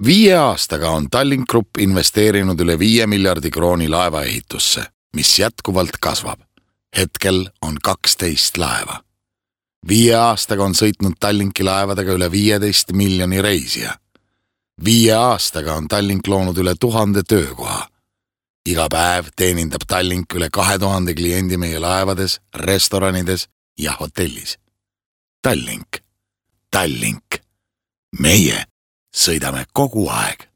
5 aastaga on Tallink Grupp investeerinud üle 5 miljardi krooni laevaehitusse, mis jätkuvalt kasvab. Hetkel on 12 laeva. 5 aastaga on sõitnud Tallinki laevadega üle 15 miljoni reisija. 5 aastaga on Tallink loonud üle 1000 töökoha. Iga päev teenindab Tallink üle 2000 kliendi meie laevades, restoranides ja hotellis. Tallink. Meie sõidame kogu aeg.